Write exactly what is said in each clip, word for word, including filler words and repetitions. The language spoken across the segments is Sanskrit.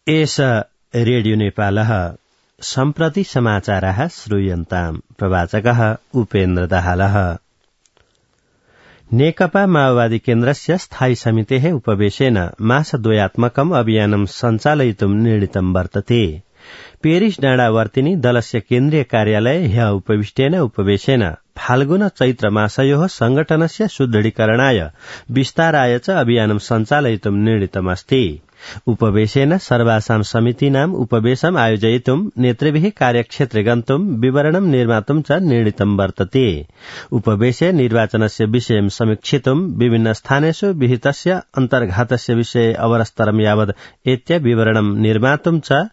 एष रेडियो नेपालः सम्प्रति समाचाराः श्रूयन्ताम्। प्रवाचकः उपेन्द्र दाहालः। नेकपा माओवादी केन्द्रस्य स्थायी समितेः उपवेशेन मासद्वयात्मकम् अभियानं सञ्चालयितुम् निर्णीतं वर्तते। पेरिस डाँडावर्तिनी दलस्य केन्द्रीय कार्यालय ह्यः उपविष्टेन उपवेशेन फाल्गुन चैत्र मासयोः संगठनस्य सुदृढीकरणाय विस्ताराय च अभियानं सञ्चालयितुम् निर्णीतमस्ति। उपवेशेन सर्वासां समितीनाम् उपवेशम् आयोजयितुम् नेतृभिः कार्यक्षेत्रे गन्तुम् विवरणं निर्मातुम् च निर्णीतं वर्तते। उपवेशे निर्वाचनस्य विषयं समीक्षितुम् विभिन्न स्थानेषु विहितस्य अन्तर्घातस्य विषये अवरस्तरं यावत् एत्य विवरणं निर्मातुम् च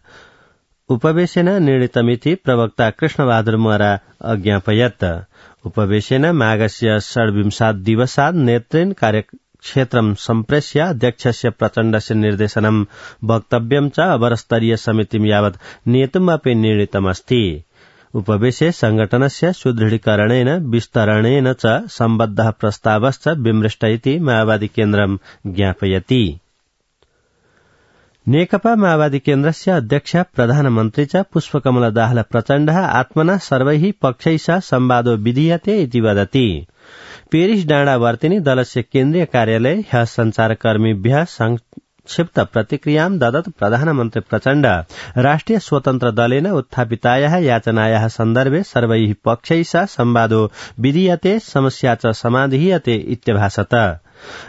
उपवेशेन निर्णीतमिति प्रवक्ता कृष्णबहादुर मरा अज्ञापयत्। उपवेशेन माघस्य षड्विंशात् दिवसात् नेतृन् कार्यक्षेत्रं सम्प्रेष्य अध्यक्षस्य प्रचण्डस्य निर्देशनं वक्तव्यं च अवरस्तरीय समितिं यावत् नेतुमपि निर्णीतमस्ति। उपवेशे संगठनस्य सुदृढीकरणेन विस्तरणेन च सम्बद्धः प्रस्तावश्च विमृष्ट इति माओवादी केन्द्रं ज्ञापयति। नेकपा माओवादी केन्द्रस्य अध्यक्ष प्रधानमन्त्री च पुष्पकमल दाहाल प्रचण्डः आत्मना सर्वैः पक्षैः संवादो विधीयते इति वदति। पेरिस डाँडावर्तिनी दलस्य केन्द्रीय कार्यालय ह्यः सञ्चारकर्मीभ्यः संक्षिप्त प्रतिक्रियां ददत् प्रधानमन्त्री प्रचण्ड राष्ट्रिय स्वतन्त्र दलेन उत्थापितायाः याचनायाः सन्दर्भे सर्वैः पक्षैः संवादो विधीयते समस्या च समाधीयते इत्यभाषत।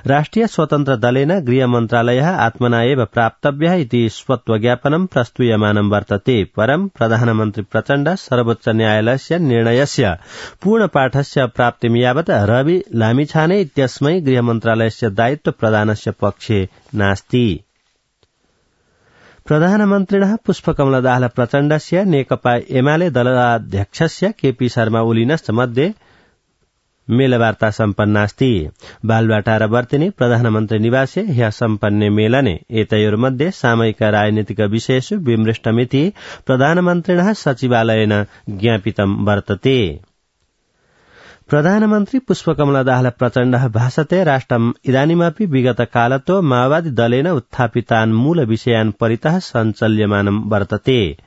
राष्ट्रिय स्वतन्त्र दलेन गृह मन्त्रालयः आत्मना एव प्राप्तव्यः इति स्वत्वज्ञापनं प्रस्तूयमानं वर्तते। परं प्रधानमन्त्री प्रचण्ड सर्वोच्च न्यायालयस्य निर्णयस्य पूर्णपाठस्य प्राप्तिं यावत् रवि लामिछाने इत्यस्मै गृह मन्त्रालयस्य दायित्व प्रदानस्य पक्षे नास्ति। प्रधानमन्त्रिणः पुष्पकमल दाहाल प्रचण्डस्य नेकपा एमाले दलाध्यक्षस्य केपी शर्मा ओलीनश्च मध्ये मेलवार्ता सम्पन्नास्ति। बालुवाटार वर्तिनी प्रधानमन्त्री निवासे ह्यः सम्पन्ने मेलने एतयोर्मध्ये सामयिक राजनीतिक विषयेषु विमृष्टमिति प्रधानमन्त्रिणः सचिवालयेन ज्ञापितं वर्तते। प्रधानमन्त्री पुष्पकमल दाहाल प्रचण्डः भाषते राष्ट्रम् इदानीमपि विगत कालतो माओवादी दलेन उत्थापितान् मूल विषयान् परितः सञ्चाल्यमानं वर्तते।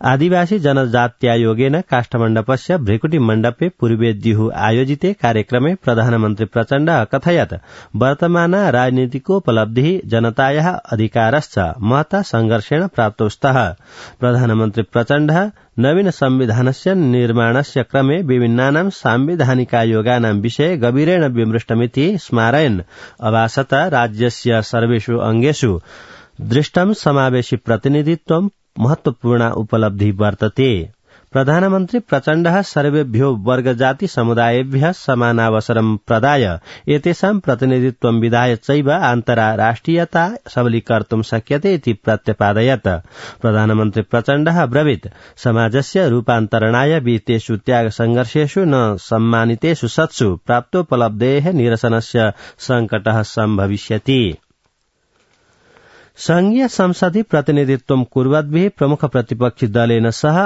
आदिवासी जनजात्यायोगेन काष्ठमण्डपस्य भ्रिकुटी मण्डपे पूर्वेद्युः आयोजिते कार्यक्रमे प्रधानमन्त्री प्रचण्ड अकथयत् वर्तमान राजनीतिकोपलब्धिः जनतायाः अधिकारश्च महता संघर्षेण प्राप्तौ स्तः। प्रधानमन्त्री प्रचण्डः नवीन संविधानस्य निर्माणस्य क्रमे विभिन्नानां सांविधानिकायोगानां विषये गभीरेण विमृष्टमिति स्मारयन् अभाषत राज्यस्य सर्वेषु अङ्गेषु दृष्टं समावेशि प्रतिनिधित्वं महत्वपूर्ण उपलब्धि वर्तते। प्रधानमन्त्री प्रचण्डः सर्वेभ्यो वर्गजाति समुदायेभ्यः समानावसरं प्रदाय एतेषां प्रतिनिधित्वं विधाय चैव आन्तराराष्ट्रियता सबलीकर्तुं शक्यते इति प्रत्यपादयत्। प्रधानमन्त्री प्रचण्डः अब्रवीत् समाजस्य रूपान्तरणाय विहितेषु त्याग संघर्षेषु न सम्मानितेषु सत्सु प्राप्तोपलब्धेः निरसनस्य संकटः सम्भविष्यति। संघीय संसदि प्रतिनिधित्वं कुर्वद्भिः प्रमुख प्रतिपक्षी दलेन सह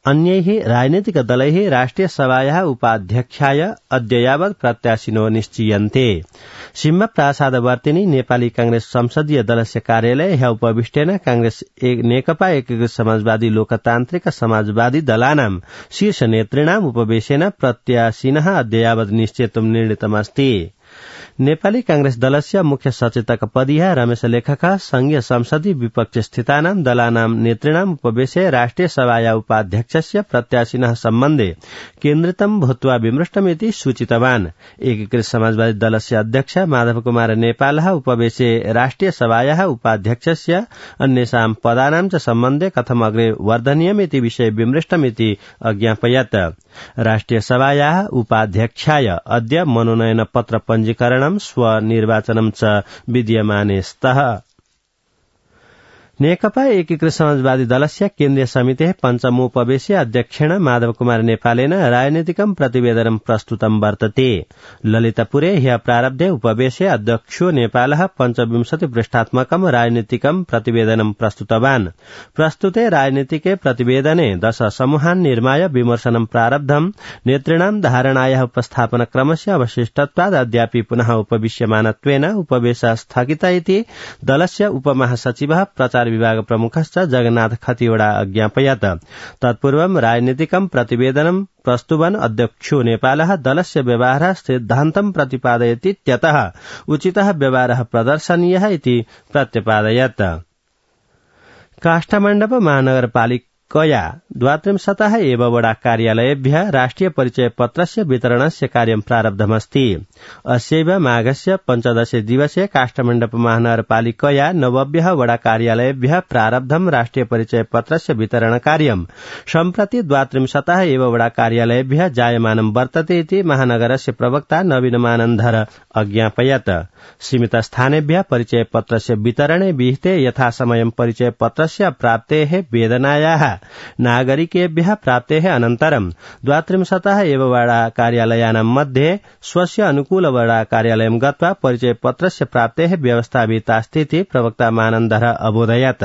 अन्यैः राजनीतिक दलैः राष्ट्रिय सभायाः उपाध्यक्षाय अद्य यावत् प्रत्याशिनो निश्चीयन्ते। सिंह प्रासादवर्तिनी नेपाली कांग्रेस संसदीय दलस्य कार्यालय ह्यः उपविष्टेन कांग्रेस नेकपा एकीकृत समाजवादी लोकतान्त्रिक समाजवादी दलानां शीर्ष नेतृणाम् उपवेशेन प्रत्याशिनः अद्य यावत् निश्चेतुं निर्णीतमस्ति। नेपाली कांग्रेस दलस्य मुख्य सचेतक पदीयः रमेश लेखकः संघीय संसदि विपक्ष स्थितानां दलानां नेतृणाम् उपवेशे राष्ट्रिय सभाया उपाध्यक्षस्य प्रत्याशिनः सम्बन्धे केन्द्रितं भूत्वा विमृष्टमिति सूचितवान्। एकीकृत समाजवादी दलस्य अध्यक्ष माधव कुमार नेपालः उपवेशे राष्ट्रिय सभायाः उपाध्यक्षस्य अन्येषां पदानां च सम्बन्धे कथम् अग्रे वर्धनीयमिति विषये विमृष्टमिति अज्ञापयत्। राष्ट्रिय सभायाः उपाध्यक्षाय अद्य मनोनयन पत्र पञ्जीकरणं स्वनिर्वाचनं च विद्यमाने स्तः। नेकपा एकीकृत समाजवादी दलस्य केन्द्रीय समितेः पञ्चमोपवेशे अध्यक्षेण माधव कुमार नेपालेन राजनीतिकं प्रतिवेदनं प्रस्तुतं वर्तते। ललितपुरे ह्यः प्रारब्धे उपवेशे अध्यक्षो नेपालः पञ्चविंशति पृष्ठात्मकं राजनीतिकं प्रतिवेदनं प्रस्तुतवान्। प्रस्तुते राजनीतिके प्रतिवेदने दश समूहान् निर्माय विमर्शनं प्रारब्धम्। नेतृणां धारणायाः उपस्थापनक्रमस्य अवशिष्टत्वात् अद्यापि पुनः उपविश्यमानत्वेन उपवेशः स्थगितः इति दलस्य उपमहासचिवः प्रचार संचार विभाग प्रमुखश्च जगन्नाथ खतिवड़ा अज्ञापयत्। तत्पूर्वं राजनीतिकं प्रतिवेदनं प्रस्तुवन् अध्यक्षो नेपालः दलस्य व्यवहारः सिद्धान्तं प्रतिपादयतीत्यतः उचितः व्यवहारः प्रदर्शनीयः इति प्रत्यपादयत्। काष्ठमण्डप महानगरपालिकया द्वात्रिंशतः एव वडा कार्यालयेभ्यः राष्ट्रिय परिचय पत्रस्य वितरणस्य कार्यं प्रारब्धमस्ति। अस्यैव माघस्य पञ्चदशे दिवसे काष्ठमण्डप महानगरपालिकया नवभ्यः वडा कार्यालयेभ्यः प्रारब्धं राष्ट्रिय परिचय पत्रस्य वितरण कार्यं सम्प्रति द्वात्रिंशतः एव वडा कार्यालयेभ्यः जायमानं वर्तते इति महानगरस्य प्रवक्ता नवीनमानन्दर अज्ञापयत्। सीमित स्थानेभ्यः परिचय पत्रस्य वितरणे विहिते यथासमयं परिचय पत्रस्य प्राप्तेः वेदनायाः नागरिकेभ्यः प्राप्तेः अनन्तरं द्वात्रिंशतः एव वडा कार्यालयानां मध्ये स्वस्य अनुकूल वडा कार्यालयं गत्वा परिचय पत्रस्य प्राप्तेः व्यवस्था विहितास्तीति प्रवक्ता मानन्दर अबोधयत्।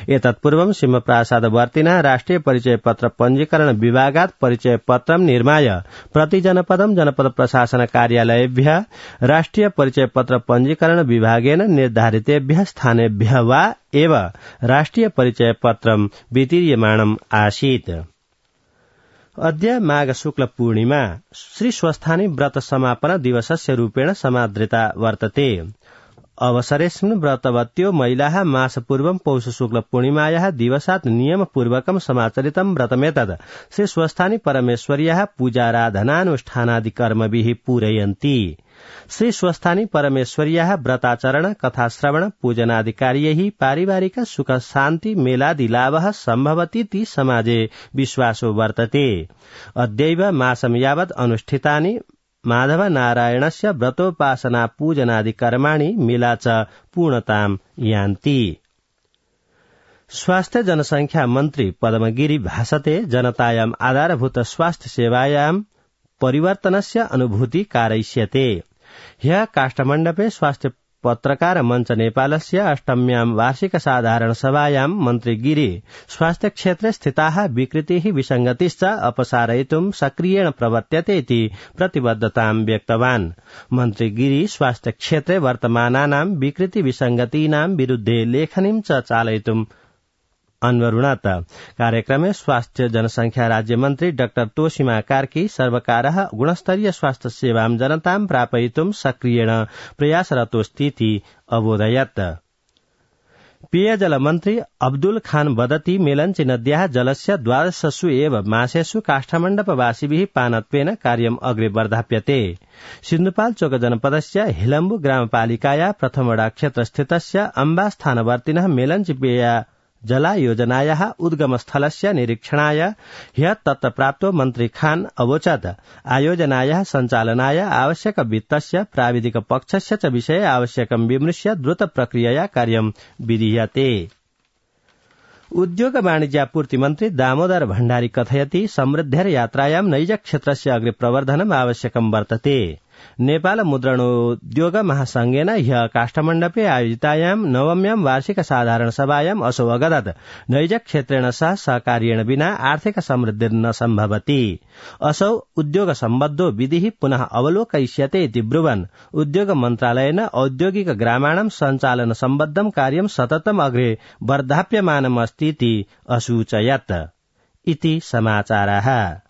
एतत्पूर्वं सिंहप्रासादवर्तिनः राष्ट्रिय परिचय पत्र पञ्जीकरण विभागात् परिचय पत्रं निर्माय प्रति जनपदं जनपद प्रशासन कार्यालयेभ्यः राष्ट्रिय परिचय पत्र पञ्जीकरण विभागेन निर्धारितेभ्यः स्थानेभ्यः वा एव राष्ट्रिय परिचय पत्रं वितीर्यमाणम् आसीत्। अद्य माघ शुक्ल पूर्णिमा श्री स्वस्थानी व्रत समापन दिवसस्य रूपेण समादृता वर्तते। अवसरेऽस्मिन् व्रतवत्यो महिलाः मासपूर्वं पौष शुक्ल पूर्णिमायाः दिवसात् नियमपूर्वकं समाचरितं व्रतमेतत् श्री स्वस्थानी परमेश्वर्याः पूजाराधनानुष्ठानादि कर्मभिः पूरयन्ति। श्री स्वस्थानी परमेश्वर्याः व्रताचरण कथाश्रवण पूजनादि कार्यैः पारिवारिक सुख शान्ति मेलादि लाभः सम्भवतीति समाजे विश्वासो वर्तते। अद्यैव मासं यावत् अनुष्ठितानि माधव नारायणस्य व्रतोपासना पूजनादि कर्माणि मेला च पूर्णतां यान्ति। स्वास्थ्य जनसंख्या मन्त्री पद्मगिरि भाषते जनतायाम् आधारभूत स्वास्थ्य सेवायां परिवर्तनस्य अनुभूति कारयिष्यते। ह्यः काष्ठमण्डपे स्वास्थ्य पत्रकार मञ्च नेपालस्य अष्टम्यां वार्षिक साधारण सभायां मन्त्री गिरि स्वास्थ्य क्षेत्रे स्थिताः विकृतिः विसङ्गतिश्च अपसारयितुं सक्रियेण प्रवर्त्यते इति प्रतिबद्धतां व्यक्तवान्। मन्त्री गिरि स्वास्थ्य क्षेत्रे वर्तमानानां विकृति विसङ्गतीनां विरुद्धे लेखनीं च चालयितुम् अन्वरुणत। कार्यक्रमे स्वास्थ्य जनसंख्या राज्यमन्त्री डाक्टर तोषिमा कार्की सर्वकारः गुणस्तरीय स्वास्थ्य सेवां जनतां प्रापयितुं सक्रियेण प्रयासरतोऽस्तीति अबोधयत्। पेयजल मन्त्री अब्दुल खान वदति मेलञ्ची नद्याः जलस्य द्वादशसु एव मासेषु काष्ठमण्डपवासिभिः पानत्वेन कार्यम् अग्रे वर्धाप्यते। सिन्धुपाल्चोक जनपदस्य हिलम्बु ग्रामपालिकाया प्रथमवडा क्षेत्रस्थितस्य अम्बास्थानवर्तिनः मेलञ्ची पेय जला योजनायाः उद्गमस्थलस्य निरीक्षणाय ह्यः तत्र प्राप्तो मन्त्री खान अवोचत् आयोजनायाः सञ्चालनाय आवश्यक वित्तस्य प्राविधिक पक्षस्य च विषये आवश्यकं विमृश्य द्रुत प्रक्रियया कार्यं विधीयते। उद्योग वाणिज्यापूर्ति मन्त्री दामोदर भण्डारी कथयति समृद्धेर यात्रायां नैज क्षेत्रस्य अग्रे प्रवर्धनम् आवश्यकं वर्तते। नेपाल मुद्रणोद्योग महासंघेन ह्यः काष्ठमण्डपे आयोजितायां नवम्यां वार्षिक साधारण सभायाम् असौ अवगदत् नैज क्षेत्रेण सह सहकार्येण विना आर्थिक समृद्धिर्न सम्भवति। असौ उद्योग सम्बद्धो विधिः पुनः अवलोकयिष्यते इति ब्रुवन् उद्योग मन्त्रालयेन औद्योगिक ग्रामाणां सञ्चालन सम्बद्धं कार्यं सततम् अग्रे वर्धाप्यमानमस्तीति असूचयत्। इति समाचाराः।